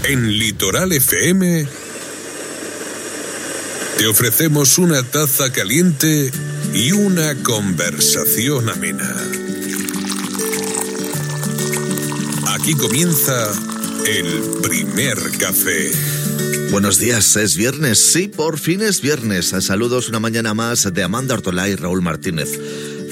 En Litoral FM te ofrecemos una taza caliente y una conversación amena. Aquí comienza el primer café. Buenos días, es viernes, sí, por fin es viernes. Saludos una mañana más de Amanda Ortolá y Raúl Martínez.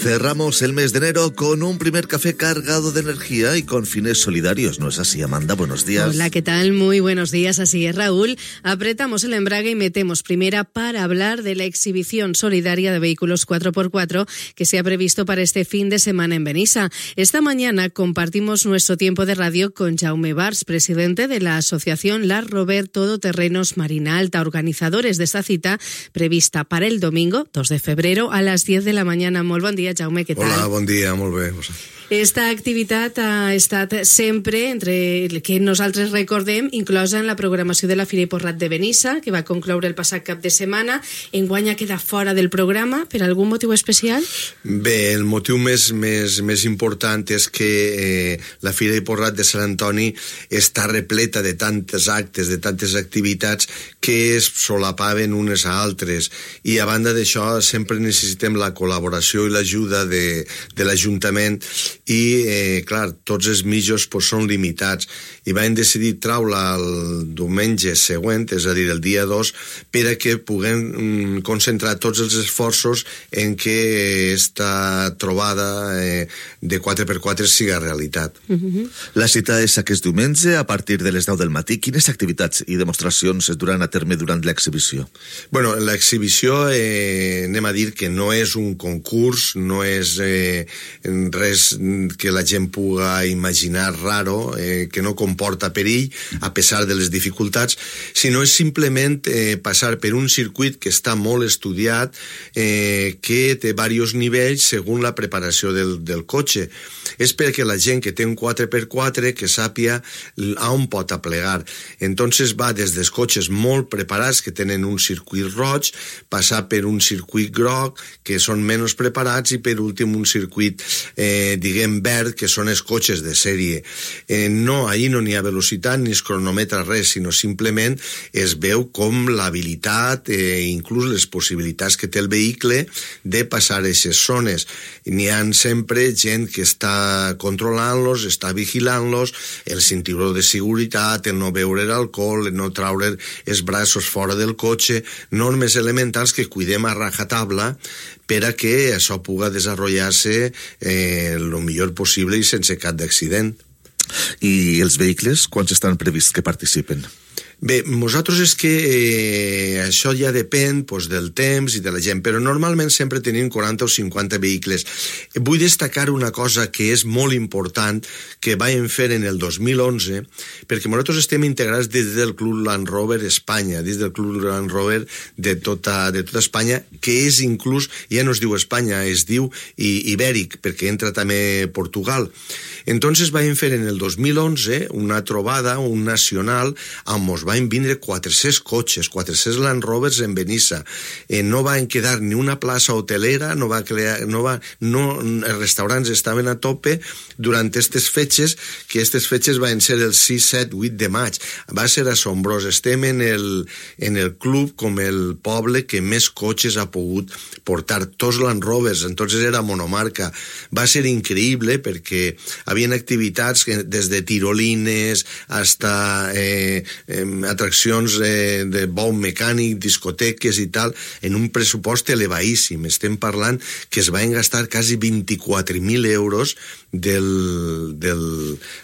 Cerramos el mes de enero con un primer café cargado de energía y con fines solidarios, ¿no es así, Amanda? Buenos días. Hola, ¿qué tal? Muy buenos días, así es, Raúl. Apretamos el embrague y metemos primera para hablar de la exhibición solidaria de vehículos 4x4 que se ha previsto para este fin de semana en Benissa. Esta mañana compartimos nuestro tiempo de radio con Jaume Bars, presidente de la asociación Land Rover Todoterrenos Marina Alta, organizadores de esta cita prevista para el domingo 2 de febrero a las 10 de la mañana. Molt bon dia, Jaume, què tal? Hola, bon dia, molt bé. Esta activitat ha estat sempre, entre el que nosaltres recordem, inclosa en la programació de la Fira i Porrat de Benissa, que va concloure el passat cap de setmana. Enguany ha quedat fora del programa, per algun motiu especial? Bé, el motiu més important és que la Fira i Porrat de Sant Antoni està repleta de tantes actes, de tantes activitats que es solapaven unes a altres, i a banda d'això sempre necessitem la col·laboració i l'ajuda de l'Ajuntament, i clar, tots els mitjos són limitats, i vam decidir treure-la el diumenge següent, és a dir, el dia 2, per a que puguem concentrar tots els esforços en que esta trobada de 4x4 siga realitat. La cita és aquest diumenge a partir de les 10 del matí. Quines activitats i demostracions es duran a terme durant l'exhibició? Bueno, l'exhibició, anem a dir que no és un concurs, no és res que la gent puga imaginar raro, que no comporta perill, a pesar de les dificultats, sinó és simplement passar per un circuit que està molt estudiat, que té diversos nivells segons la preparació del cotxe. És perquè la gent que té un 4x4 que sàpia on pot aplegar. Entonces va des dels cotxes molt preparats, que tenen un circuit roig, passar per un circuit groc, que són menys preparats, i per últim un circuit, diguem, verd, que són els cotxes de sèrie. No, ahir no n'hi ha velocitat ni es cronometra res, sinó simplement es veu com l'habilitat, inclús les possibilitats que té el vehicle de passar aquestes zones. N'hi ha sempre gent que està controlant-los, està vigilant-los, el cinturó de seguretat, el no beure alcohol, el no traure els braços fora del cotxe, normes elementals que cuidem a rajatabla per a que això puga desenvolupar-se el millor possible i sense cap d'accident. I els vehicles, quants estan prevists que participen? Bé, nosaltres és que això ja depèn del temps i de la gent, però normalment sempre tenim 40 o 50 vehicles. Vull destacar una cosa que és molt important, que vam fer en el 2011, perquè nosaltres estem integrats des del Club Land Rover Espanya, des del Club Land Rover de tota Espanya, que és inclús, ja no es diu Espanya, es diu Ibèric, perquè entra també Portugal. Entonces vam fer en el 2011 una trobada, un nacional, on ens van vindre 400 cotxes, 400 Land Rovers en Benissa. No van quedar ni una plaça hotelera, els restaurants estaven a tope durant aquestes fetges, que aquestes fetges van ser el 6, 7, 8 de maig. Va ser assombrós. Estem en el club com el poble que més cotxes ha pogut portar, tots Land Rovers, entonces era monomarca. Va ser increïble perquè havien activitats des de tirolines hasta atraccions de bou mecànic, discoteques i tal, en un pressupost elevadíssim. Estem parlant que es van gastar quasi 24.000 euros del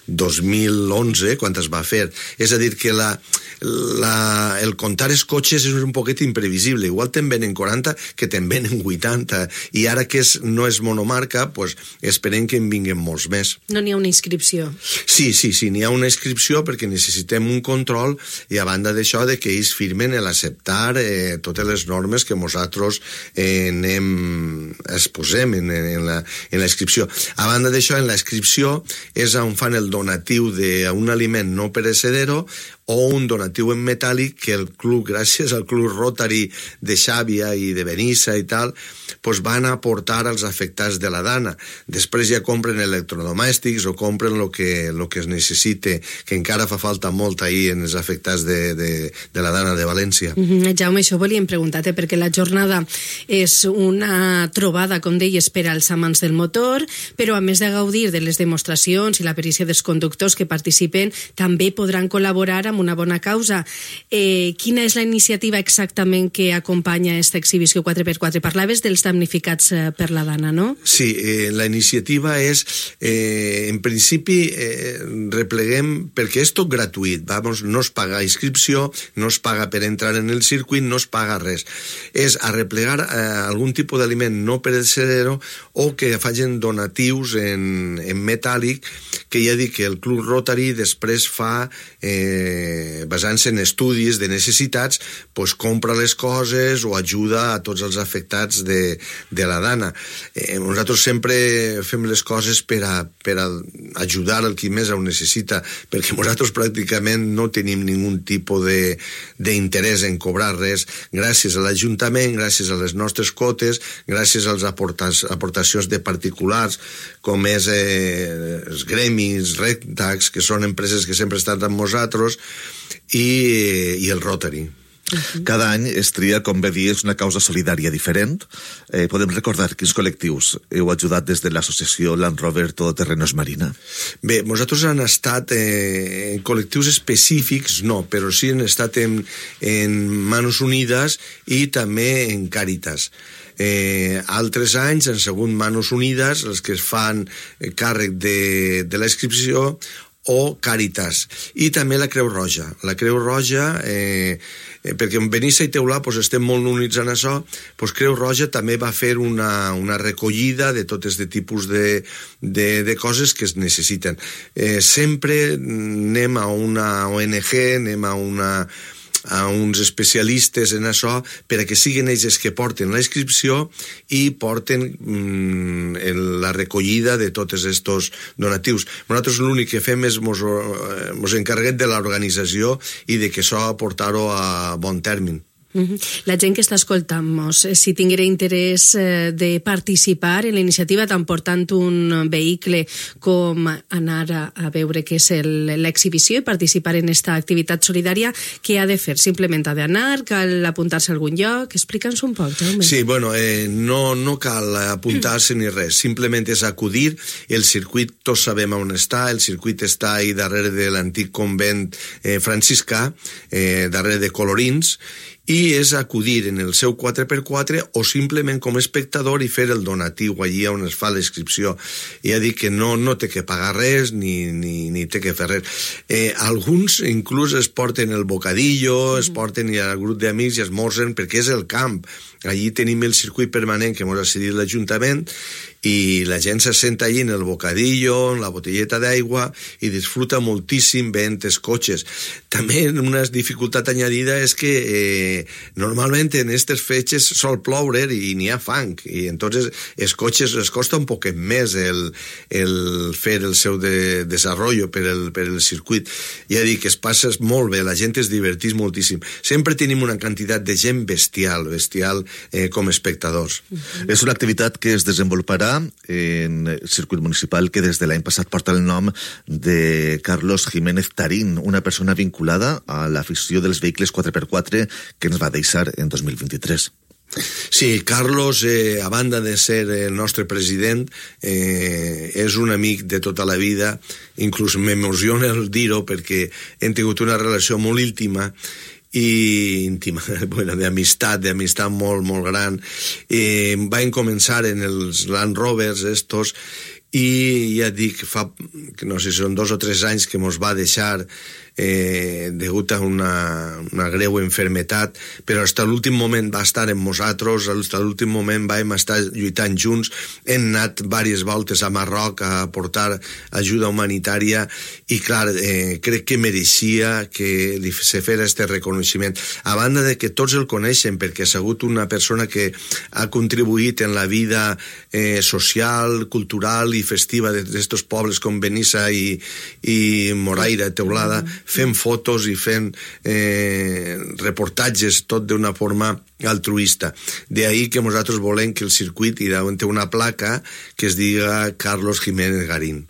2011, quan es va fer. És a dir, que el comptar els cotxes és un poquet imprevisible. Igual te'n venen 40 que te'n venen 80, i ara que no és monomarca, esperem que en vinguen molts més. No n'hi ha una inscripció? Sí, n'hi ha una inscripció perquè necessitem un control, i a banda d'això de que ells firmen l'acceptar totes les normes que nosaltres exposem en la inscripció. A banda d'això, en la inscripció és on fan el donatiu d'un aliment no perecedero o un donatiu en metàl·lic que el club, gràcies al club Rotary de Xàbia i de Benissa i tal, pues van a aportar als afectats de la Dana. Després ja compren electrodomèstics o compren lo que es necessite, que encara fa falta molt ahir en els afectats de la Dana de València. Jaume, això volíem preguntar-te, perquè la jornada és una trobada, com deies, per als amants del motor, però a més de gaudir de les demostracions i la perícia dels conductors que participen, també podran col·laborar amb una bona causa. Quina és la iniciativa exactament que acompanya aquesta exhibició 4x4? Parlaves dels damnificats per la Dana, no? Sí, la iniciativa és, en principi, repleguem, perquè és tot gratuït, no es paga inscripció, no es paga per entrar en el circuit, no es paga res. És arreplegar algun tipus d'aliment no perecedero o que facin donatius en metàl·lic, que ja dic que el Club Rotary després fa, basant-se en estudis de necessitats, pues compra les coses o ajuda a tots els afectats de la Dana. Nosaltres sempre fem les coses per ajudar el qui més ho necessita, perquè nosaltres pràcticament no tenim ningú tipus d'interès en cobrar res, gràcies a l'Ajuntament, gràcies a les nostres quotes, gràcies a les aportacions de particulars, com és els gremis, Rectax, que són empreses que sempre estan amb nosaltres, i el Rotary. Cada any es tria, com bé dius, una causa solidària diferent. Podem recordar quins col·lectius heu ajudat des de l'associació Land Rover Todoterrenos Marina? Bé, nosaltres han estat en col·lectius específics, no, però sí han estat en Manos Unides i també en Càritas. Altres anys han sigut Manos Unides els que es fan càrrec de la inscripció, o Càritas, i també la Creu Roja. La Creu Roja, perquè en Benissa i Teulà estem molt units en això, Creu Roja també va fer una recollida de tots de tipus de coses que es necessiten. Sempre anem a una ONG, anem a uns especialistes en això per a que siguin ells que porten la inscripció i porten la recollida de tots aquests donatius. Nosaltres l'únic que fem és mos encarreguem de l'organització i de que això portar-ho a bon terme. La gent que està escoltant-nos, si tinguera interès de participar en la iniciativa tan portant un vehicle com anar a veure què és l'exhibició i participar en aquesta activitat solidària, què ha de fer? Simplement ha d'anar? Cal apuntar-se a algun lloc? Explica'ns un poc, Jaume. Sí, bueno, no cal apuntar-se ni res, simplement és acudir. El circuit, tots sabem on està, el circuit està ahí darrere de l'antic convent franciscà, darrere de Colorins, i és acudir en el seu 4x4 o simplement com a espectador i fer el donatiu allí on es fa la inscripció. Ja dic que no té que pagar res ni té que fer res. Alguns inclús es porten el bocadillo, es porten i al grup d'amics i esmorzen perquè és el camp. Allí tenim el circuit permanent que ens ha cedit l'Ajuntament i la gent se senta allí en el bocadillo, en la botelleta d'aigua i disfruta moltíssim veient els cotxes. També una dificultat añadida és que normalment en aquestes fetges sol ploure i n'hi ha fang i entonces els cotxes les costa un poquet més el fer el seu desenvolupament per el circuit. Ja dic que es passa molt bé, la gent es divertís moltíssim. Sempre tenim una quantitat de gent bestial com a espectadors. És una activitat que es desenvoluparà en el circuit municipal que des de l'any passat porta el nom de Carlos Jiménez Tarín, una persona vinculada a l'afició dels vehicles 4x4 que ens va deixar en 2023. Sí, Carlos, a banda de ser el nostre president, és un amic de tota la vida, inclús m'emociona el dir-ho perquè hem tingut una relació molt íntima, d'amistat molt, molt gran. Vam començar en els Land Rovers estos i ja dic, fa, no sé si són 2 o 3 anys que mos va deixar degut a una greu enfermetat, però fins a l'últim moment va estar amb nosaltres, fins a l'últim moment vam estar lluitant junts, hem anat diverses voltes a Marroc a portar ajuda humanitària i clar, crec que mereixia que se fera aquest reconeixement. A banda de que tots el coneixen perquè ha sigut una persona que ha contribuït en la vida social, cultural i festiva d'aquests pobles com Benissa i Moraira, Teulada, fent fotos i fent reportatges, tot d'una forma altruista. De ahí que nosaltres volem que el circuit hi té una placa que es diga Carlos Jiménez Garín.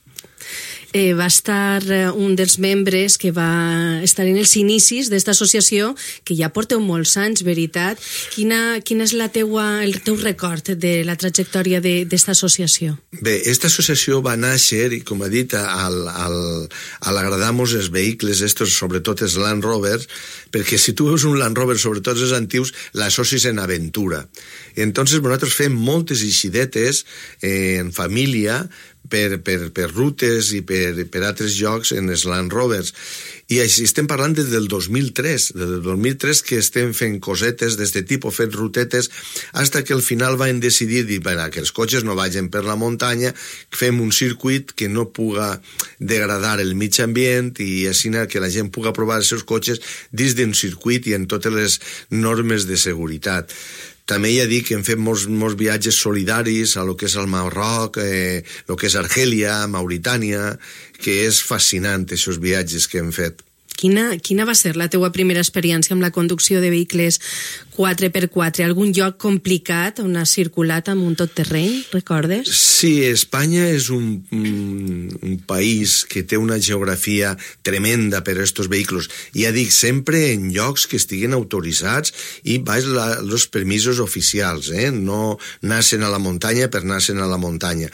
Va estar un dels membres que va estar en els inicis d'esta associació, que ja porteu molts anys, veritat. Quin és el teu record de la trajectòria d'esta associació? Bé, esta associació va néixer, i com ha dit, al agradar-nos els vehicles, estos, sobretot els Land Rovers, perquè si tu veus un Land Rover, sobretot els antius, l'associs en aventura. Entonces nosaltres fem moltes eixidetes en família, per rutes i per altres llocs en els Land Rovers. I així estem parlant des del 2003, que estem fent cosetes d'este tipus, fent rutetes, fins que al final vam decidir que els cotxes no vagin per la muntanya, fem un circuit que no puga degradar el mig ambient i així que la gent puga provar els seus cotxes dins d'un circuit i en totes les normes de seguretat. També ja dic que hem fet molts viatges solidaris a lo que és el Marroc, lo que és Argèlia, Mauritània, que és fascinant, aquests viatges que hem fet. Quina va ser la teua primera experiència amb la conducció de vehicles 4x4? Algun lloc complicat on has circulat amb un tot terreny, recordes? Sí, Espanya és un país que té una geografia tremenda per a aquests vehicles. Ja dic, sempre en llocs que estiguen autoritzats i baix els permisos oficials, no nacen a la muntanya per nacen a la muntanya.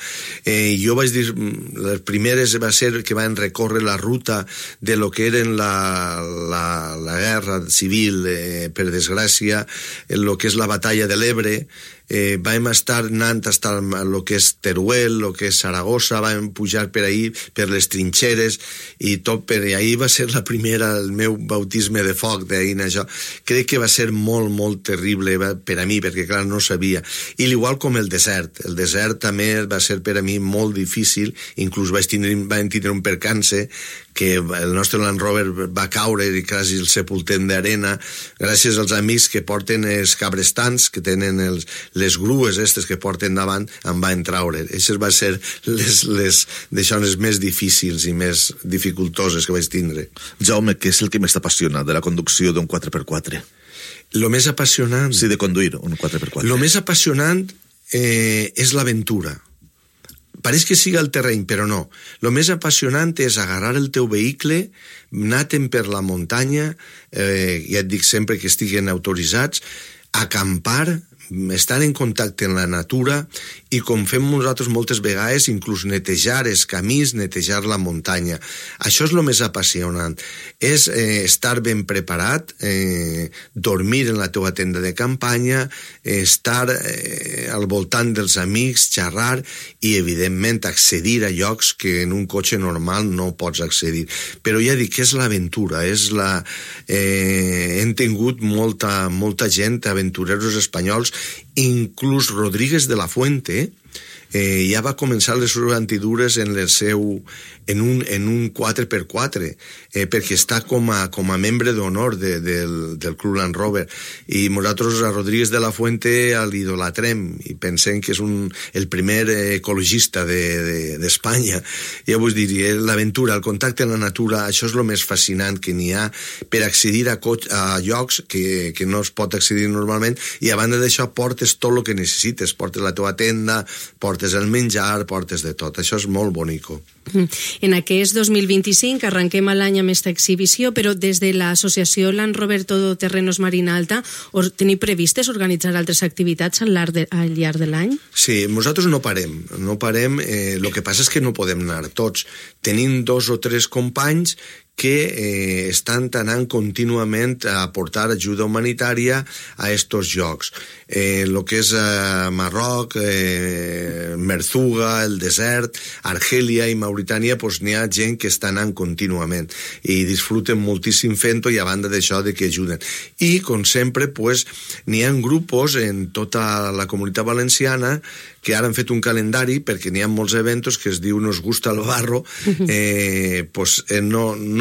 Jo vaig dir, les primeres va ser que van recórrer la ruta de lo que eren la guerra civil, per desgràcia, el que és la batalla de l'Ebre. Vam estar anant fins al que és Teruel, el que és Saragossa, vam pujar per ahí, per les trinxeres, i tot per ahí va ser la primera, el meu bautisme de foc d'ahir en això. Crec que va ser molt, molt terrible per a mi, perquè clar, no sabia. I igual com el desert també va ser per a mi molt difícil, inclús vam tindre un percance, que el nostre Land Rover va caure i quasi el sepultem d'arena, gràcies als amics que porten els cabrestants, que tenen les grues aquestes que porten davant, em van traure. Aquestes van ser les deixones més difícils i més dificultoses que vaig tindre. Jaume, què és el que més t'apassiona de la conducció d'un 4x4? Lo més apassionant... Sí, de conduir un 4x4. Lo més apassionant és l'aventura. Pareix que siga el terreny, però no. Lo més apassionant és agarrar el teu vehicle, anar-te'n per la muntanya, ja et dic sempre que estiguen autoritzats, acampar, estar en contacte amb la natura i, com fem nosaltres moltes vegades, inclús netejar els camins, netejar la muntanya. Això és el més apassionant. És estar ben preparat, dormir en la teua tenda de campanya, estar al voltant dels amics, xerrar i, evidentment, accedir a llocs que en un cotxe normal no pots accedir. Però ja dic que és l'aventura, hem tingut molta gent, aventureros espanyols, inclús Rodríguez de la Fuente, ja va començar les seves antidures en un 4x4, perquè està com a membre d'honor del Club Land Rover, i nosaltres a Rodríguez de la Fuente l'idolatrem i pensem que és el primer ecologista d'Espanya. Ja vull dir, l'aventura, el contacte amb la natura, això és el més fascinant que n'hi ha per accedir a llocs que no es pot accedir normalment, i a banda d'això portes tot el que necessites, portes la teva tenda, portes el menjar, portes de tot. Això és molt bonico. En aquest 2025 arrenquem l'any amb aquesta exhibició, però des de l'associació Land Rover Todoterrenos Marina Alta teniu previstes organitzar altres activitats al llarg de l'any? Sí, nosaltres no parem. El que passa és que no podem anar tots. Tenim 2 o 3 companys que estan anant contínuament a aportar ajuda humanitària a estos llocs. El que és Marroc, Merzuga, el desert, Argèlia i Mauritània, n'hi ha gent que està anant contínuament i disfruten moltíssim fent-ho, i a banda d'això de que ajuden. I, com sempre, n'hi ha grupos en tota la comunitat valenciana que ara han fet un calendari, perquè n'hi ha molts eventos que es diu Nos gusta el barro,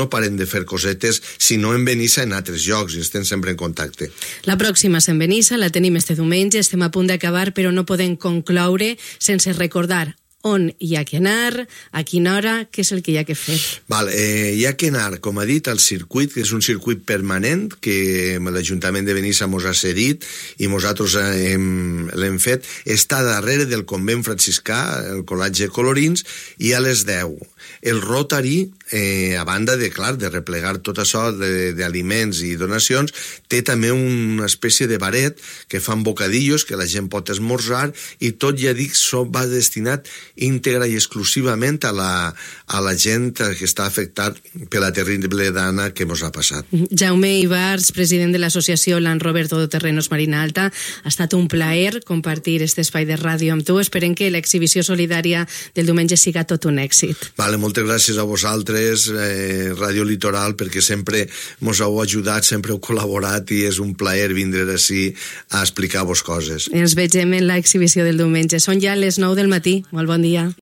no paren de fer cosetes, sinó en Benissa en altres llocs, i estem sempre en contacte. La pròxima és en Benissa, la tenim este diumenge, estem a punt d'acabar, però no podem concloure sense recordar on hi ha que anar, a quina hora, què és el que hi ha que fer? Hi ha que anar, com ha dit, al circuit, que és un circuit permanent que l'Ajuntament de Benissa mos ha cedit i nosaltres l'hem fet. Està darrere del convent franciscà, el Col·legi Colorins, i a les 10. El Rotary, a banda de replegar tot això d'aliments i donacions, té també una espècie de baret que fan bocadillos que la gent pot esmorzar, i tot, ja dic, va destinat íntegra i exclusivament a la gent que està afectat per la terrible dana que ens ha passat. Jaume Ibars, president de l'associació Land Rover Todoterrenos Marina Alta, ha estat un plaer compartir aquest espai de ràdio amb tu. Esperem que l'exhibició solidària del diumenge siga tot un èxit. Moltes gràcies a vosaltres, Ràdio Litoral, perquè sempre ens heu ajudat, sempre heu col·laborat, i és un plaer vindre ací a explicar-vos coses. Ens vegem en l'exhibició del diumenge. Són ja les 9 del matí. Molt bon dia.